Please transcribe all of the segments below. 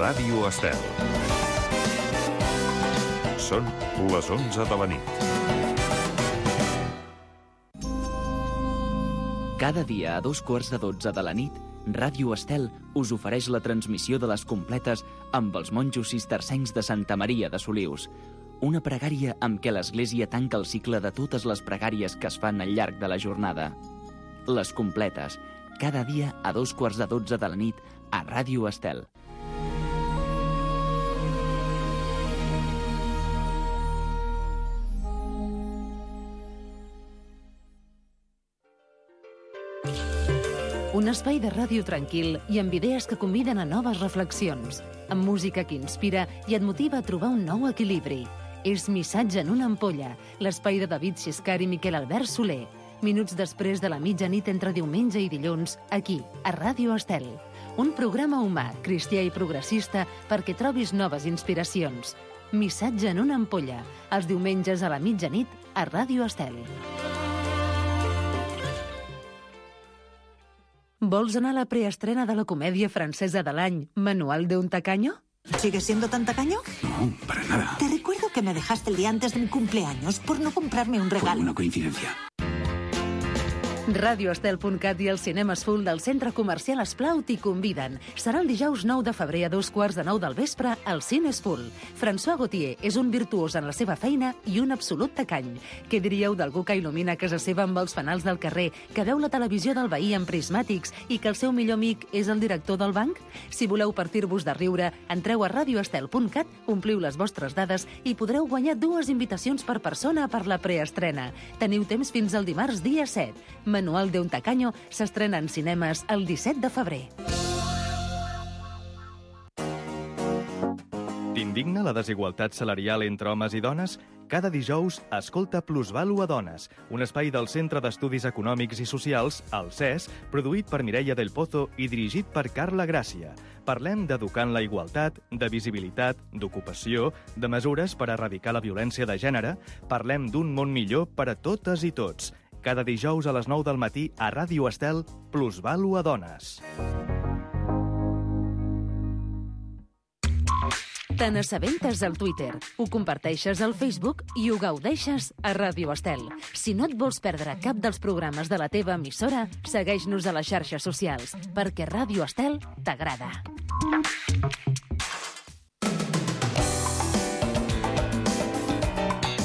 Ràdio Estel. Són les 11 de la nit. Cada dia a 2:15 de la nit, Ràdio Estel us ofereix la transmissió de les completes amb els monjos cistercencs de Santa Maria de Solius. Una pregària amb què l'Església tanca el cicle de totes les pregàries que es fan al llarg de la jornada. Les completes, cada dia a 2:15 de la nit a Ràdio Estel. Un espai de ràdio tranquil i amb idees que conviden a noves reflexions, amb música que inspira i et motiva a trobar un nou equilibri. És Missatge en una ampolla, l'espai de David Xiscar i Miquel Albert Soler. Minuts després de la mitjanit entre diumenge i dilluns, aquí, a Ràdio Estel. Un programa humà, cristià i progressista perquè trobis noves inspiracions. Missatge en una ampolla, els diumenges a la mitjanit a Ràdio Estel. Vols anar a la preestrena de la comèdia francesa de l'any Manual de un tacaño? ¿Sigues siendo tan tacaño? No, para nada. Te recuerdo que me dejaste el día antes de mi cumpleaños por no comprarme un regalo. Fue una coincidencia. RadioEstel.cat i els cinemes full del centre comercial Esplau t'hi conviden. Serà el dijous 9 de febrer a 8:15 del vespre al Cines Full. François Gauthier és un virtuós en la seva feina i un absolut tacany. Què diríeu d'algú que il·lumina casa seva amb els fanals del carrer, que veu la televisió del veí amb prismàtics i que el seu millor amic és el director del banc? Si voleu partir-vos de riure, entreu a RadioEstel.cat, ompliu les vostres dades i podreu guanyar 2 invitacions per persona per la preestrena. Teniu temps fins al dimarts dia 7. Manual de un tacaño s'estrena en cinemes el 17 de febrer. T'indigna la desigualtat salarial entre homes i dones? Cada dijous, escolta Plusvalua Dones, un espai del Centre d'Estudis Econòmics i Socials, el CES, produït per Mireia del Pozo i dirigit per Carla Gràcia. Parlem d'educar en la igualtat, de visibilitat, d'ocupació, de mesures per erradicar la violència de gènere. Parlem d'un món millor per a totes i tots. Cada dijous a les 9 del matí a Ràdio Estel, Plusvalua Dones. Te n'assabentes al Twitter, ho comparteixes al Facebook i ho gaudeixes a Ràdio Estel. Si no et vols perdre cap dels programes de la teva emissora, segueix-nos a les xarxes socials, perquè Ràdio Estel t'agrada.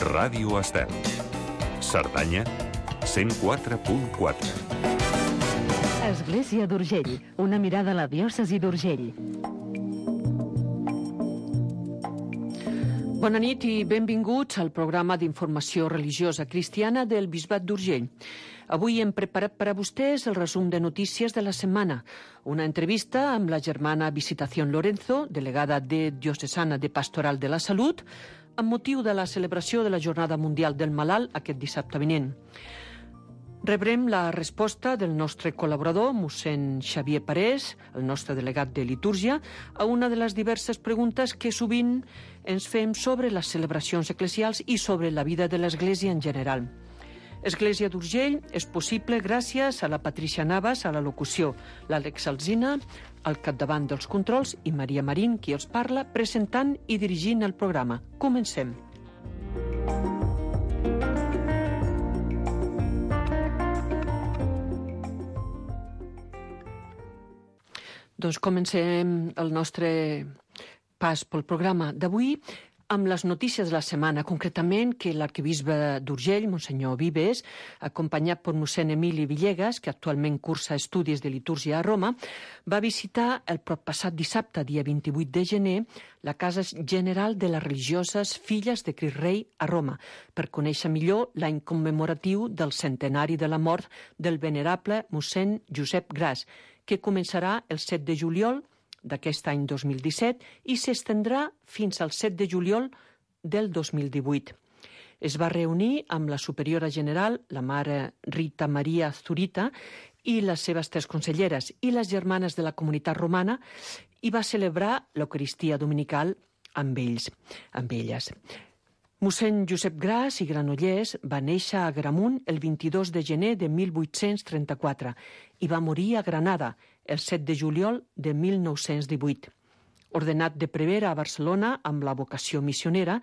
Ràdio Estel. Cerdanya 104.4. Església d'Urgell, una mirada a la diòcesi d'Urgell. Bona nit i benvinguts al programa d'informació religiosa cristiana del Bisbat d'Urgell. Avui hem preparat per a vostès el resum de notícies de la setmana, una entrevista amb la germana Visitación Lorenzo, delegada de Diocesana de Pastoral de la Salut, amb motiu de la celebració de la Jornada Mundial del Malalt aquest dissabte vinent. Rebrem la resposta del nostre col·laborador, mossèn Xavier Parés, el nostre delegat de litúrgia, a una de les diverses preguntes que sovint ens fem sobre les celebracions eclesials i sobre la vida de l'Església en general. Església d'Urgell és possible gràcies a la Patricia Navas a la locució, l'Àlex Alsina al capdavant dels controls i Maria Marín, qui els parla, presentant i dirigint el programa. Comencem. Doncs comencem el nostre pas pel programa d'avui amb les notícies de la setmana, concretament que l'arquebisbe d'Urgell, Monsenyor Vives, acompanyat per mossèn Emili Villegas, que actualment cursa estudis de litúrgia a Roma, va visitar el proppassat dissabte, dia 28 de gener, la Casa General de les Religioses Filles de Crist Rei a Roma, per conèixer millor l'any commemoratiu del centenari de la mort del venerable mossèn Josep Gras, que començarà el 7 de juliol d'aquest any 2017 i s'estendrà fins al 7 de juliol del 2018. Es va reunir amb la superiora general, la mare Rita Maria Zurita, i les seves 3 conselleres i les germanes de la comunitat romana i va celebrar l'Eucaristia dominical amb ells, amb elles. Mossèn Josep Gras i Granollers va néixer a Agramunt el 22 de gener de 1834 i va morir a Granada el 7 de juliol de 1918. Ordenat de prevere a Barcelona amb la vocació missionera,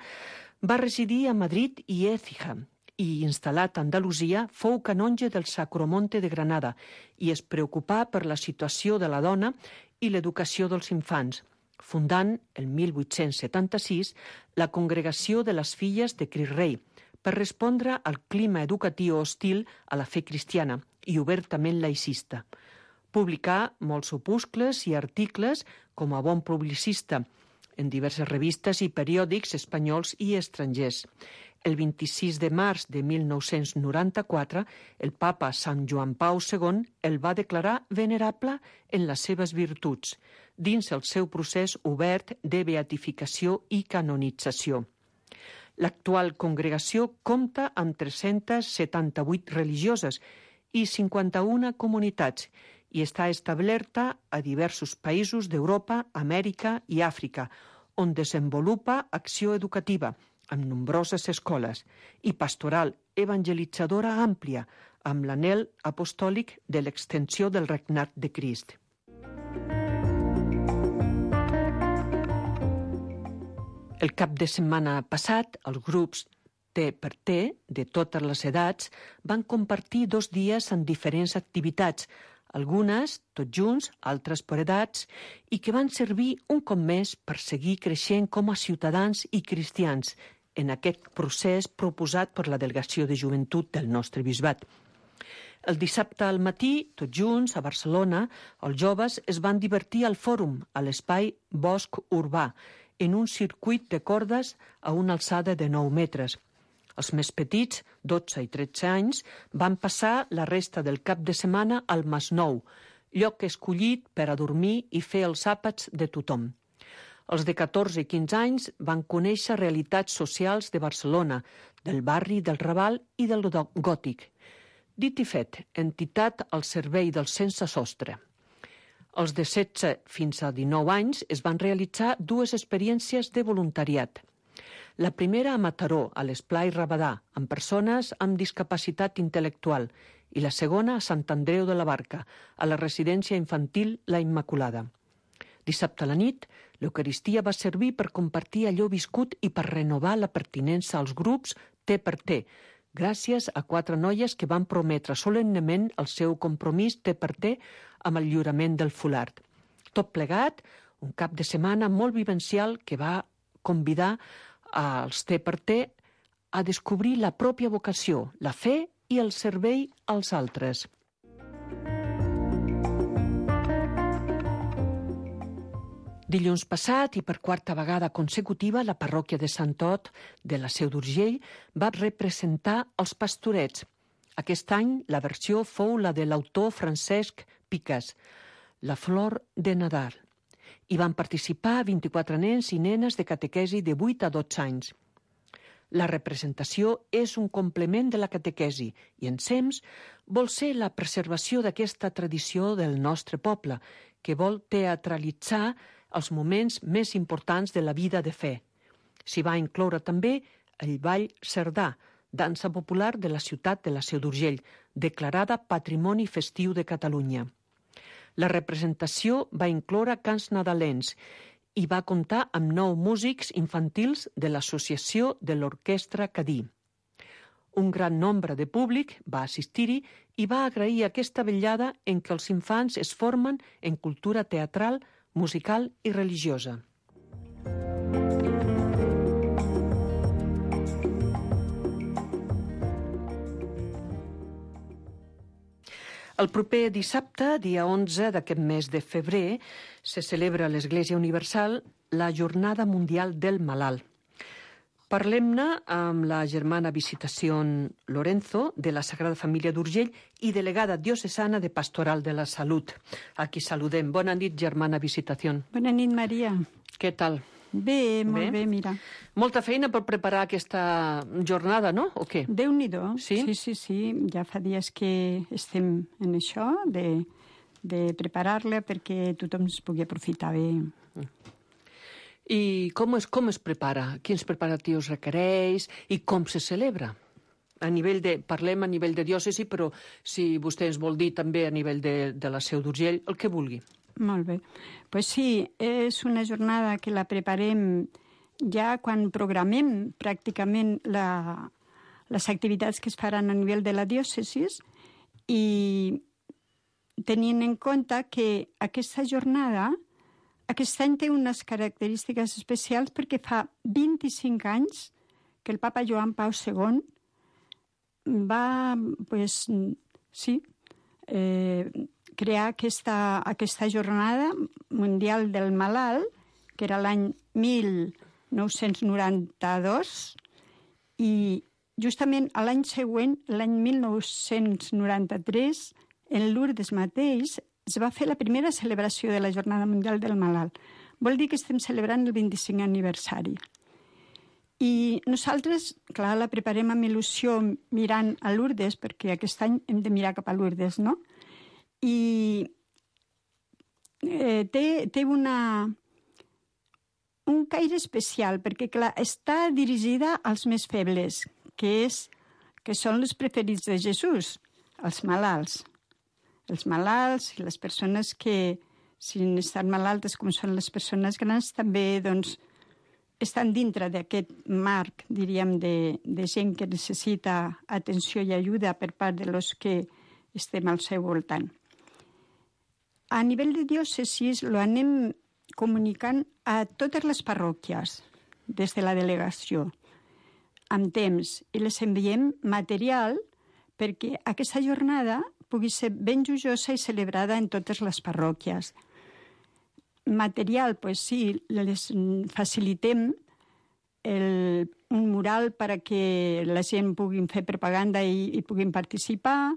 va residir a Madrid i Écija i, instal·lat a Andalusia, fou canonge del Sacromonte de Granada i es preocupà per la situació de la dona i l'educació dels infants, fundant, el 1876, la Congregació de les Filles de Crist Rei, per respondre al clima educatiu hostil a la fe cristiana i obertament laicista. Publicà molts opuscles i articles com a bon publicista en diverses revistes i periòdics espanyols i estrangers. El 26 de març de 1994, el papa Sant Joan Pau II el va declarar venerable en les seves virtuts, dins el seu procés obert de beatificació i canonització. L'actual congregació compta amb 378 religioses i 51 comunitats i està establerta a diversos països d'Europa, Amèrica i Àfrica, on desenvolupa acció educativa, amb nombroses escoles, i pastoral evangelitzadora àmplia, amb l'anhel apostòlic de l'extensió del regnat de Crist. El cap de setmana passat, els grups T per T, de totes les edats, van compartir 2 dies en diferents activitats, algunes tots junts, altres per edats, i que van servir un cop més per seguir creixent com a ciutadans i cristians en aquest procés proposat per la Delegació de Joventut del nostre bisbat. El dissabte al matí, tots junts, a Barcelona, els joves es van divertir al fòrum, a l'espai Bosc Urbà, en un circuit de cordes a una alçada de 9 metres. Els més petits, 12 i 13 anys, van passar la resta del cap de setmana al Masnou, lloc escollit per a dormir i fer els àpats de tothom. Els de 14 i 15 anys van conèixer realitats socials de Barcelona, del barri del Raval i del Gòtic. Dit i fet, entitat al servei del sense sostre. Els de 16 fins a 19 anys es van realitzar 2 experiències de voluntariat. La primera a Mataró, a l'Esplai Rabadà, amb persones amb discapacitat intel·lectual, i la segona a Sant Andreu de la Barca, a la residència infantil La Immaculada. Dissabte a la nit, l'Eucaristia va servir per compartir allò viscut i per renovar la pertinença als grups T per T, gràcies a 4 noies que van prometre solemnement el seu compromís T per T amb el lliurament del fulard. Tot plegat, un cap de setmana molt vivencial que va convidar als T per T a descobrir la pròpia vocació, la fe i el servei als altres. Dilluns passat, i per 4a vegada consecutiva, la parròquia de Sant Ot de la Seu d'Urgell va representar els Pastorets. Aquest any la versió fou la de l'autor Francesc Picas, La flor de Nadal. Hi van participar 24 nens i nenes de catequesi de 8 a 12 anys. La representació és un complement de la catequesi i, ensems, vol ser la preservació d'aquesta tradició del nostre poble, que vol teatralitzar els moments més importants de la vida de fe. S'hi va incloure també el ball cerdà, dansa popular de la ciutat de la Seu d'Urgell, declarada Patrimoni Festiu de Catalunya. La representació va incloure cants nadalencs i va comptar amb 9 músics infantils de l'associació de l'Orquestra Cadí. Un gran nombre de públic va assistir-hi i va agrair aquesta vetllada en què els infants es formen en cultura teatral, musical i religiosa. El proper dissabte, dia 11 d'aquest mes de febrer, se celebra a l'Església Universal la Jornada Mundial del Malalt. Parlem-ne amb la germana Visitació Lorenzo, de la Sagrada Família d'Urgell i delegada diocesana de Pastoral de la Salut. Aquí saludem. Bona nit, germana Visitació. Bona nit, Maria. Què tal? Bé, molt bé, mira. Molta feina per preparar aquesta jornada, no? O què? Déu-n'hi-do. Sí? Sí. Ja fa dies que estem en això, de preparar-la perquè tothom es pugui aprofitar bé. I com es prepara? Quins preparatius requereix i com se celebra? Parlem a nivell de diòcesi, però si vostè ens vol dir també a nivell de la Seu d'Urgell, el que vulgui. Molt bé. Pues sí, és una jornada que la preparem ja quan programem pràcticament les activitats que es faran a nivell de la diòcesi i tenint en compte que aquesta jornada aquest any té unes característiques especials perquè fa 25 anys que el papa Joan Pau II va, crear aquesta jornada mundial del malalt, que era l'any 1992, i justament l'any següent, l'any 1993, en Lourdes mateix, es va fer la primera celebració de la Jornada Mundial del Malalt. Vol dir que estem celebrant el 25è aniversari. I nosaltres, clar, la preparem amb il·lusió mirant a Lourdes, perquè aquest any hem de mirar cap a Lourdes, no? I té un caire especial, perquè, clar, està dirigida als més febles, que són els preferits de Jesús, els malalts. Els malalts i les persones que, si estan malaltes com són les persones grans, també doncs, estan dintre d'aquest marc, diríem, de gent que necessita atenció i ajuda per part de los que estem al seu voltant. A nivell de diòcesis lo anem comunicant a totes les parròquies des de la delegació amb temps i les enviem material perquè aquesta jornada pugui ser ben joiosa i celebrada en totes les parròquies. Material, doncs sí, les facilitem un mural perquè la gent pugui fer propaganda i puguin participar,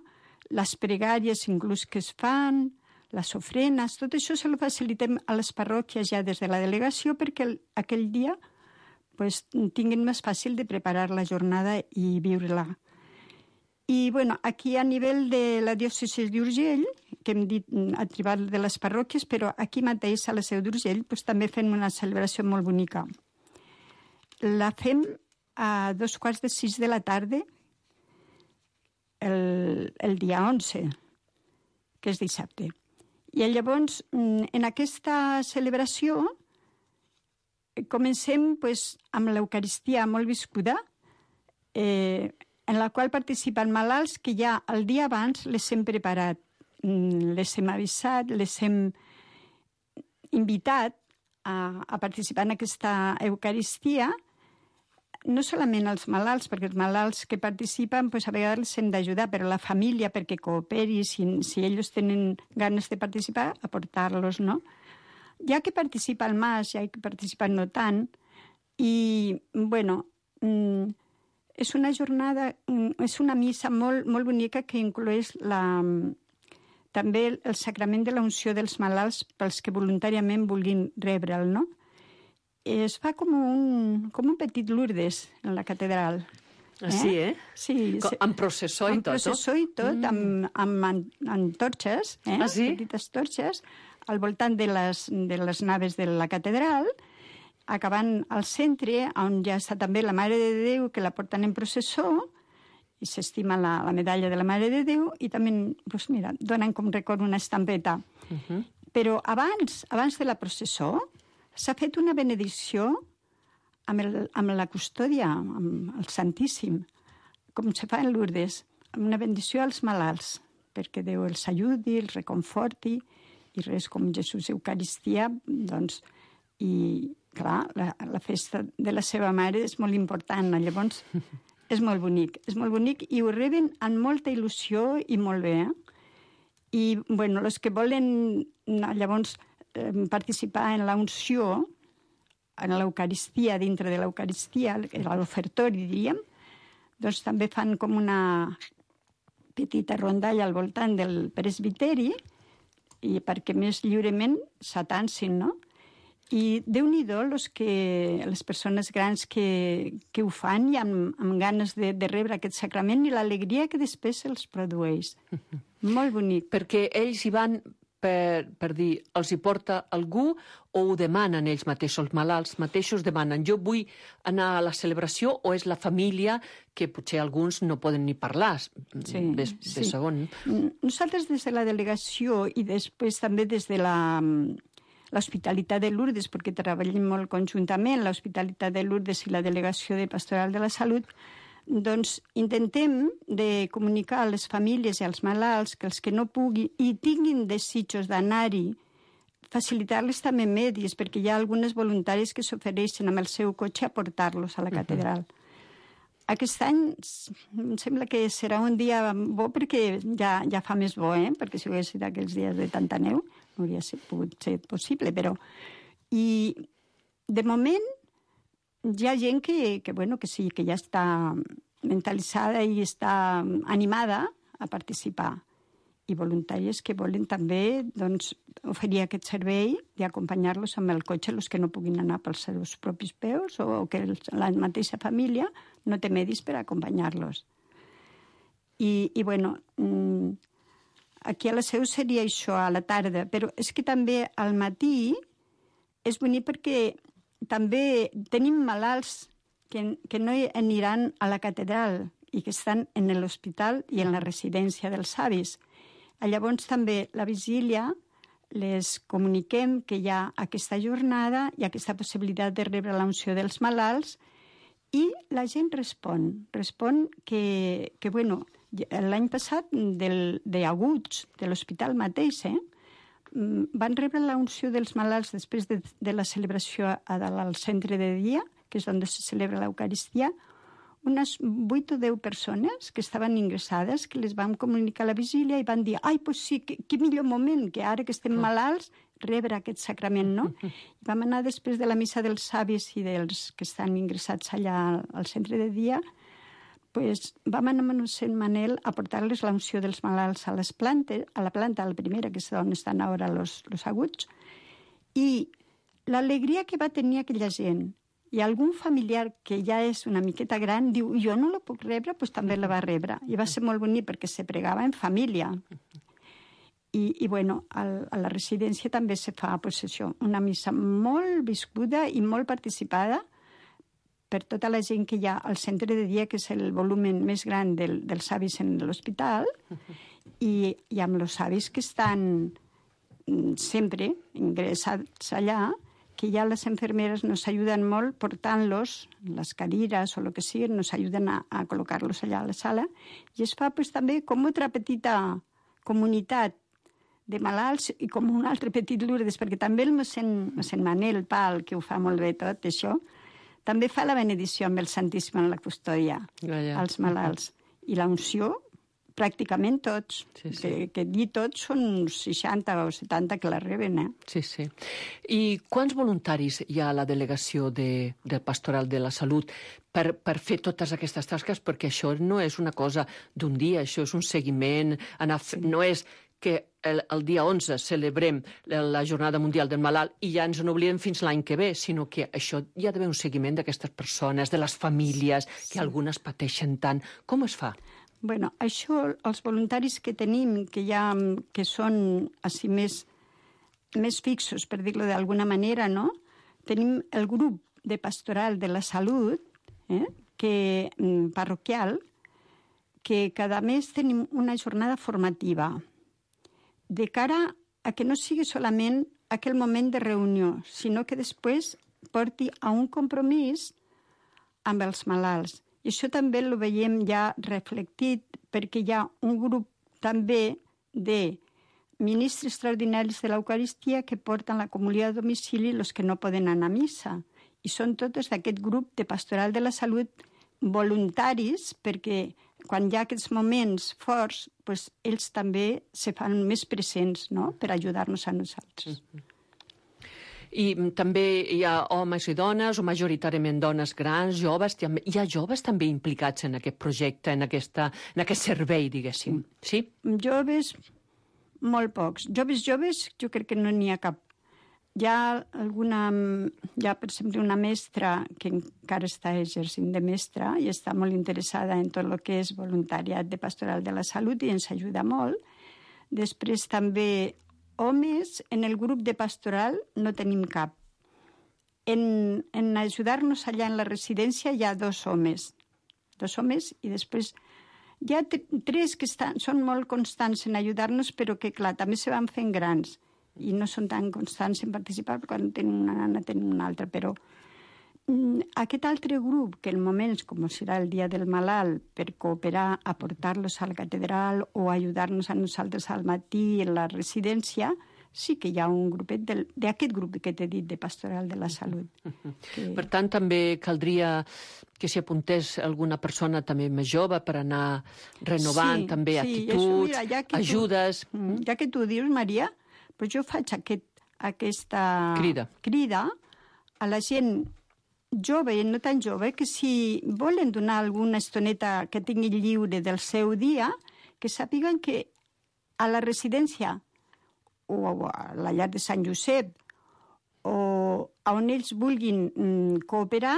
les pregàries inclús que es fan, les ofrenes, tot això se lo facilitem a les parròquies ja des de la delegació perquè aquell dia tinguin més fàcil de preparar la jornada i viure-la. I aquí a nivell de la diòcesi d'Urgell, que hem dit a tribal de les parròquies, però aquí mateix a la seu d'Urgell també fem una celebració molt bonica. La fem a 5:15 de la tarda el dia 11, que és dissabte. I llavors, en aquesta celebració, comencem amb l'Eucaristia molt viscuda, en la qual participen malalts que ja el dia abans les hem preparat, les hem avisat, les hem invitat a participar en aquesta Eucaristia, no solament els malalts, perquè els malalts que participen a vegades els hem d'ajudar, però la família perquè cooperi, si ells tenen ganes de participar, aportar-los, no? Ja que participa el mas, ja que participa no tant, i, és una jornada, és una missa molt, molt bonica que incloeix també el sacrament de la unció dels malalts pels que voluntàriament vulguin rebre'l, no? Es fa com un petit Lourdes en la catedral. Sí, eh? Sí. Amb processó i tot, no? Amb processó i tot, amb torxes, petites torxes, al voltant de les naves de la catedral, acabant al centre, on ja està també la Mare de Déu, que la porten en processó, i s'estima la medalla de la Mare de Déu, i també, donen com record una estampeta. Però abans de la processó, s'ha fet una benedicció amb la custòdia, amb el Santíssim, com se fa en Lourdes, amb una benedicció als malalts, perquè Déu els ajudi, els reconforti, i res com Jesús Eucaristia, doncs, i clar, la festa de la seva mare és molt important, llavors és molt bonic i ho reben amb molta il·lusió i molt bé. I, els que volen llavors participar en la unció, en l'Eucaristia, dintre de l'Eucaristia, l'ofertori, diríem, doncs també fan com una petita rondalla al voltant del presbiteri i perquè més lliurement s'atansin, no? I Déu-n'hi-do les persones grans que ho fan i amb ganes de rebre aquest sacrament i l'alegria que després els produeix. Molt bonic. Perquè ells hi van per dir, els hi porta algú o ho demanen ells mateixos, els malalts mateixos demanen jo vull anar a la celebració o és la família que potser alguns no poden ni parlar, ves segon. Nosaltres des de la delegació i després també des de l'Hospitalitat de Lourdes, perquè treballem molt conjuntament, l'Hospitalitat de Lourdes i la Delegació de Pastoral de la Salut, doncs intentem de comunicar a les famílies i als malalts que els que no puguin i tinguin desitjos d'anar-hi, facilitar-les també medis, perquè hi ha algunes voluntàries que s'ofereixen amb el seu cotxe a portar-los a la catedral. Aquest any em sembla que serà un dia bo perquè ja fa més bo, perquè si hagués sigut aquells dies de tanta neu no hauria pogut ser possible, però... I de moment hi ha gent que sí, que ja està mentalitzada i està animada a participar. I voluntàries que volen també oferir aquest servei d'acompanyar-los amb el cotxe, els que no puguin anar pels seus propis peus o que la mateixa família no té medis per acompanyar-los. I aquí a la Seu seria això, a la tarda, però és que també al matí és bonic perquè també tenim malalts que no aniran a la catedral i que estan en l'hospital i en la residència dels avis. Llavors també la vigília les comuniquem que hi ha aquesta jornada i aquesta possibilitat de rebre l'unció dels malalts i la gent respon que l'any passat d'aguts de l'hospital mateix, van rebre l'unció dels malalts després de la celebració al centre de dia, que és on se celebra l'Eucaristia, unes 8 o 10 persones que estaven ingressades, que les vam comunicar a la vigília i van dir, pues sí, que millor moment, que ara que estem malalts, rebre aquest sacrament, no? I vam anar després de la missa dels avis i dels que estan ingressats allà al centre de dia, vam anar amb mossèn Manel a portar-les l'unció dels malalts a les plantes, a la planta, a la primera, que és on estan ara los aguts, i l'alegria que va tenir aquella gent. I algun familiar que ja és una miqueta gran diu, jo no la puc rebre, doncs també la va rebre. I va ser molt bonic perquè se pregava en família. I a la residència també se fa una missa molt viscuda i molt participada per tota la gent que hi ha al centre de dia, que és el volum més gran dels avis en l'hospital, i amb els avis que estan sempre ingressats allà, que ja les enfermeres nos ayudan molt portant-los, les cadires o el que sigui, nos ayuden a col·locar-los allà a la sala, i es fa també com una petita comunitat de malalts i com un altre petit Lourdes, perquè també el mossèn Manel Pal, que ho fa molt bé tot això, també fa la benedició amb el Santíssim en la custòdia als malalts. I la unció, pràcticament tots. Que dir tots són 60 o 70 que la reben, Sí. I quants voluntaris hi ha a la delegació del Pastoral de la Salut per fer totes aquestes tasques? Perquè això no és una cosa d'un dia, això és un seguiment, no és que el dia 11 celebrem la Jornada Mundial del Malalt i ja ens n'oblidem fins l'any que ve, sinó que això hi ha d'haver un seguiment d'aquestes persones, de les famílies, que algunes pateixen tant. Com es fa? Això, els voluntaris que tenim, que són així més fixos, per dir-ho d'alguna manera, no? Tenim el grup de Pastoral de la Salut, parroquial, que cada mes tenim una jornada formativa de cara a que no sigui solament aquell moment de reunió, sinó que després porti a un compromís amb els malalts. I això també ho veiem ja reflectit perquè hi ha un grup també de ministres extraordinaris de l'Eucaristia que porten la comunió a domicili els que no poden anar a missa. I són totes d'aquest grup de Pastoral de la Salut voluntaris perquè quan hi ha aquests moments forts, ells també se fan més presents, no?, per ajudar-nos a nosaltres. I també hi ha homes i dones, o majoritàriament dones grans, joves. Hi ha joves també implicats en aquest projecte, en aquest servei, diguéssim. Sí? Joves, molt pocs. Joves, jo crec que no n'hi ha cap. Hi ha per exemple, una mestra que encara està exercint de mestra i està molt interessada en tot el que és voluntariat de Pastoral de la Salut i ens ajuda molt. Després també homes, en el grup de pastoral no tenim cap. En ajudar-nos allà en la residència hi ha 2 homes. 2 homes i després hi ha 3 que són molt constants en ajudar-nos, però que, clar, també se van fent grans i no són tan constants en participar perquè quan tenen una nana tenen una altra, però aquest altre grup, que en moments com serà el dia del malalt, per cooperar, aportar-los a la catedral o ajudar-nos a nosaltres al matí en la residència, sí que hi ha un grupet d'aquest grup que t'he dit, de Pastoral de la Salut. Per tant, també caldria que s'hi apuntés alguna persona també més jove per anar renovant també actituds, ajudes. Ja que tu dius, Maria, però jo faig aquesta crida a la gent jove i no tan jove, que si volen donar alguna estoneta que tinguin lliure del seu dia, que sàpiguen que a la residència o a la llar de Sant Josep o on ells vulguin cooperar,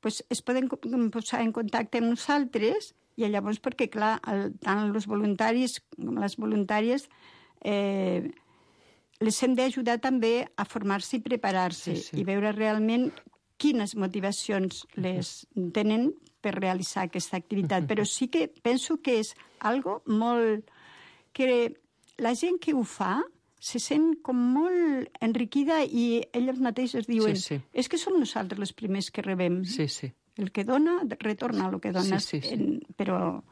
doncs es poden posar en contacte amb nosaltres i llavors, perquè, clar, tant els voluntaris com les voluntàries les hem d'ajudar també a formar-se i preparar-se i veure realment quines motivacions les tenen per realitzar aquesta activitat. Però sí que penso que és algo molt... que la gent que ho fa se sent com molt enriquida i elles mateixes diuen és que som nosaltres les primers que rebem. El que dona, retorna el que dona. Però...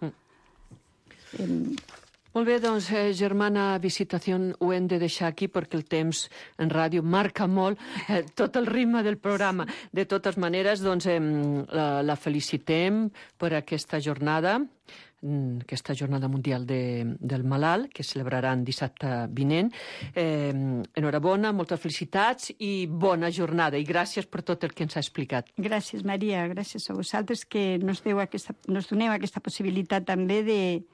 Molt bé, doncs, germana Visitació, ho hem de deixar aquí perquè el temps en ràdio marca molt tot el ritme del programa. De totes maneres, doncs, la felicitem per aquesta jornada mundial del malalt, que celebraran dissabte vinent. Enhorabona, moltes felicitats i bona jornada. I gràcies per tot el que ens ha explicat. Gràcies, Maria. Gràcies a vosaltres que nos doneu aquesta possibilitat també de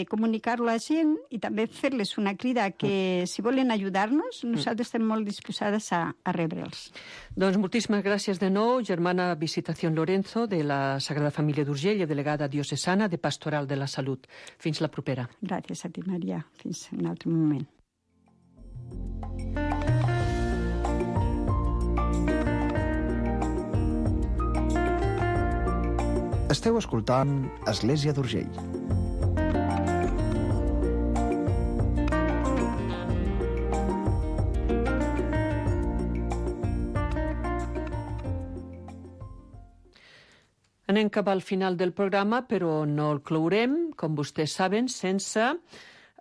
comunicar-ho a la gent i també fer-les una crida que, si volen ajudar-nos, nosaltres estem molt disposades a rebre'ls. Doncs moltíssimes gràcies de nou, germana Visitació Lorenzo, de la Sagrada Família d'Urgell i delegada diocesana de Pastoral de la Salut. Fins la propera. Gràcies a ti, Maria. Fins un altre moment. Esteu escoltant Església d'Urgell. Anem cap al final del programa, però no el clourem, com vostès saben, sense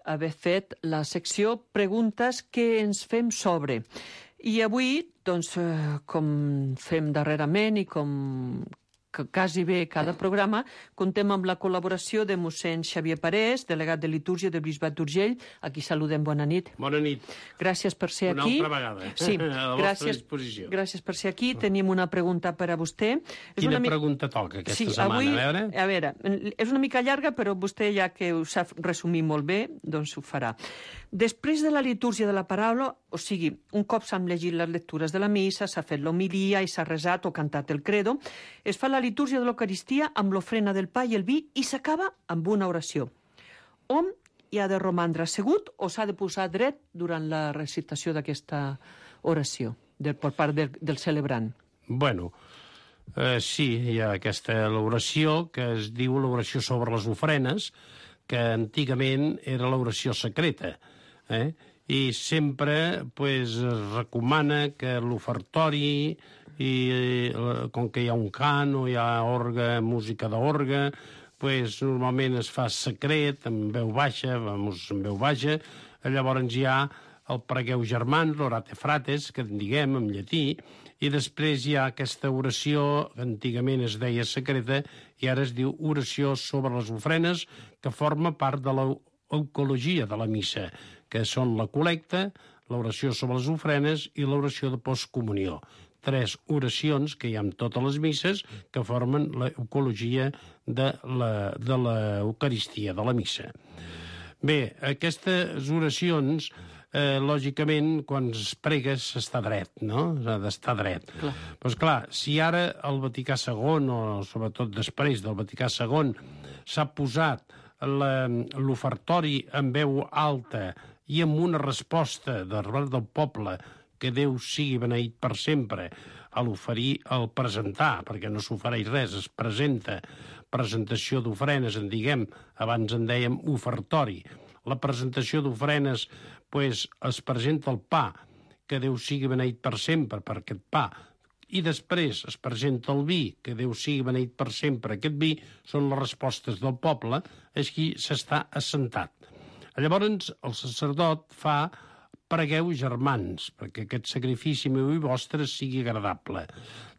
haver fet la secció Preguntes que ens fem sobre. I avui, doncs, com fem darrerament i com quasi bé cada programa, contem amb la col·laboració de mossèn Xavier Parés, delegat de litúrgia del Bisbat d'Urgell. Aquí saludem, bona nit. Bona nit. Gràcies per ser aquí. Una altra vegada. Sí, a la vostra disposició. Gràcies per ser aquí. Tenim una pregunta per a vostè. Quina pregunta toca aquesta setmana? Avui, a veure, és una mica llarga, però vostè, ja que ho sap resumir molt bé, doncs ho farà. Després de la litúrgia de la paraula, o sigui, un cop s'han llegit les lectures de la missa, s'ha fet l'homilia i s'ha resat o cantat el credo, es fa la litúrgia de l'Eucaristia amb l'ofrena del pa i el vi i s'acaba amb una oració. Hom hi ha de romandre assegut o s'ha de posar dret durant la recitació d'aquesta oració per part del celebrant? Bueno, sí, hi ha aquesta oració que es diu l'oració sobre les ofrenes, que antigament era l'oració secreta, i sempre es recomana que l'ofertori, com que hi ha un cant o hi ha orgue, música d'orgue, normalment es fa secret, amb veu baixa, llavors hi ha el pregueu germans, l'orate frates, que en diguem en llatí, i després hi ha aquesta oració, que antigament es deia secreta, i ara es diu oració sobre les ofrenes, que forma part de l'eucologia de la missa, que són la col·lecta, l'oració sobre les ofrenes i l'oració de postcomunió. 3 oracions que hi ha en totes les misses que formen l'eucologia de l'Eucaristia, de la missa. Bé, aquestes oracions, lògicament, quan es prega s'està dret, no? S'ha d'estar dret. Doncs clar, si ara el Vaticà II, o sobretot després del Vaticà II, s'ha posat l'ofertori en veu alta i amb una resposta del poble que Déu sigui beneït per sempre, a l'oferir, al presentar, perquè no s'ofereix res, es presenta, presentació d'ofrenes, en diguem, abans en dèiem ofertori. La presentació d'ofrenes, pues, es presenta el pa, que Déu sigui beneït per sempre per aquest pa, i després es presenta el vi, que Déu sigui beneït per sempre. Aquest vi són les respostes del poble, així s'està assentat. Llavors el sacerdot fa pregueu germans, perquè aquest sacrifici meu i vostre sigui agradable.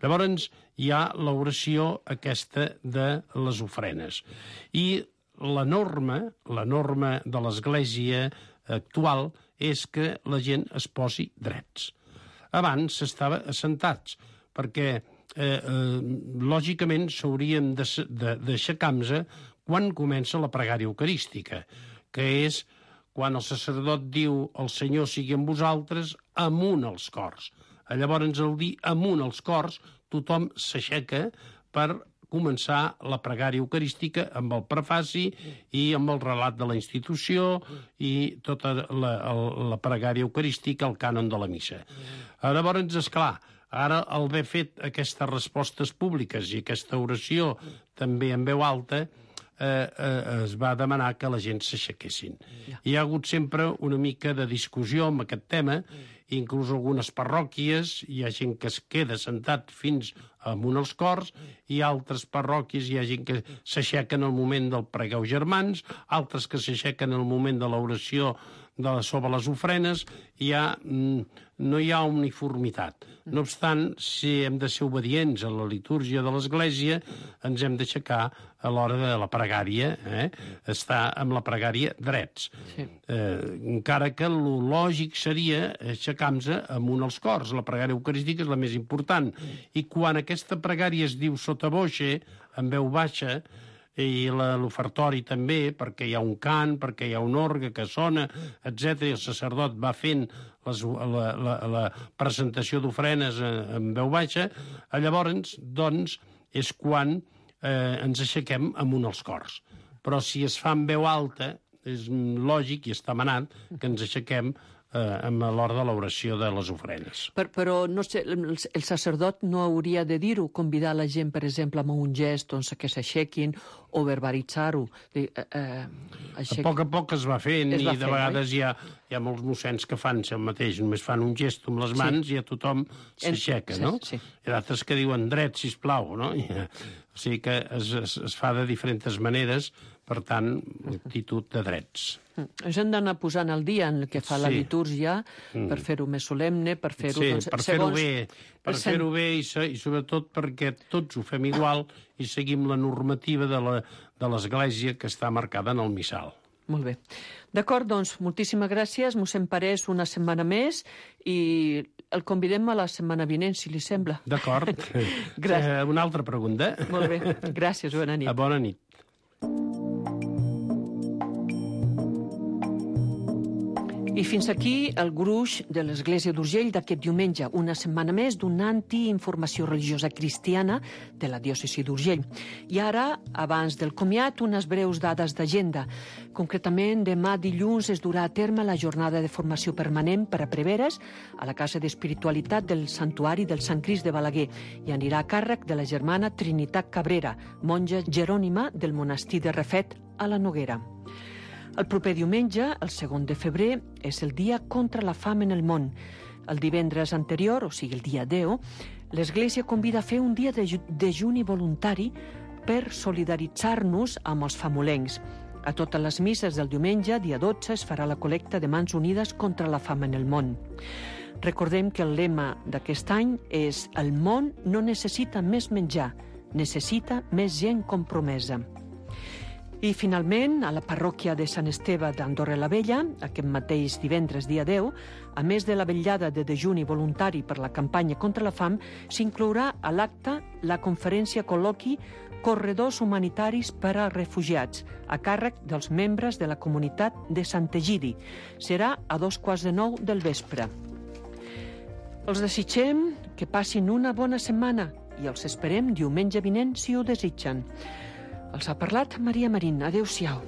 Llavors hi ha l'oració aquesta de les ofrenes. I la norma de l'Església actual és que la gent es posi drets. Abans s'estava assentats, perquè lògicament s'haurien d'aixecar-nos quan comença la pregària eucarística, que és quan el sacerdot diu el Senyor sigui amb vosaltres, amunt als cors. Llavors, al dir amunt als cors, tothom s'aixeca per començar la pregària eucarística amb el prefaci i amb el relat de la institució i tota la pregària eucarística, el cànon de la missa. Llavors, esclar, ara al haver fet aquestes respostes públiques i aquesta oració també en veu alta, es va demanar que la gent s'aixequessin. Hi ha hagut sempre una mica de discussió amb aquest tema, inclús algunes parròquies, hi ha gent que es queda sentat fins amunt als cors, i altres parròquies hi ha gent que s'aixequen al moment del pregueu germans, altres que s'aixequen al moment de l'oració sobre les ofrenes, no hi ha uniformitat. No obstant, si hem de ser obedients a la litúrgia de l'Església, ens hem d'aixecar a l'hora de la pregària, estar amb la pregària drets. Sí. Encara que el lògic seria aixecar-nos amunt als cors. La pregària eucarística és la més important. I quan aquesta pregària es diu sota voce, en veu baixa, i l'ofertori també, perquè hi ha un cant, perquè hi ha un orgue que sona, etc. I el sacerdot va fent la presentació d'ofrenes en veu baixa, llavors, doncs, és quan ens aixequem amunt als cors. Però si es fa en veu alta, és lògic i està manat que ens aixequem a l'hora de l'oració de les ofrenes. Però no sé, el sacerdot no hauria de dir-ho, convidar la gent, per exemple, amb un gest, doncs, que s'aixequin, o verbalitzar-ho. A poc es va fent, i de vegades hi ha molts mossens que fan el mateix, només fan un gest amb les mans i a tothom s'aixeca, no? Hi ha d'altres que diuen dret, sisplau, no? O sigui que es fa de diferents maneres, per tant, actitud de drets. Ens hem d'anar posant al dia en el que fa la litúrgia per fer-ho més solemne, per fer-ho... Sí, per fer-ho bé i sobretot perquè tots ho fem igual i seguim la normativa de l'Església que està marcada en el missal. Molt bé. D'acord, doncs, moltíssimes gràcies. Mossèn Parés una setmana més i el convidem a la setmana vinent, si li sembla. D'acord. Una altra pregunta. Molt bé. Gràcies, bona nit. Bona nit. I fins aquí el gruix de l'Església d'Urgell d'aquest diumenge, una setmana més donant-hi informació religiosa cristiana de la diòcesi d'Urgell. I ara, abans del comiat, unes breus dades d'agenda. Concretament, demà dilluns es durà a terme la jornada de formació permanent per a preveres a la Casa d'Espiritualitat del Santuari del Sant Crist de Balaguer i anirà a càrrec de la germana Trinitat Cabrera, monja jerònima del monestir de Refet a la Noguera. El proper diumenge, el 2 de febrer, és el dia contra la fam en el món. El divendres anterior, o sigui el dia 10, l'Església convida a fer un dia de dejuni voluntari per solidaritzar-nos amb els famolencs. A totes les misses del diumenge, dia 12, es farà la col·lecta de mans unides contra la fam en el món. Recordem que el lema d'aquest any és «El món no necessita més menjar, necessita més gent compromesa». I, finalment, a la parròquia de Sant Esteve d'Andorra la Vella, aquest mateix divendres, dia 10, a més de la vetllada de dejuni voluntari per la campanya contra la fam, s'inclourà a l'acte la conferència col·loqui Corredors Humanitaris per als Refugiats, a càrrec dels membres de la comunitat de Sant Egidi. Serà a 8:45 del vespre. Els desitgem que passin una bona setmana i els esperem diumenge vinent si ho desitgen. Els ha parlat Maria Marín. Adéu-siau.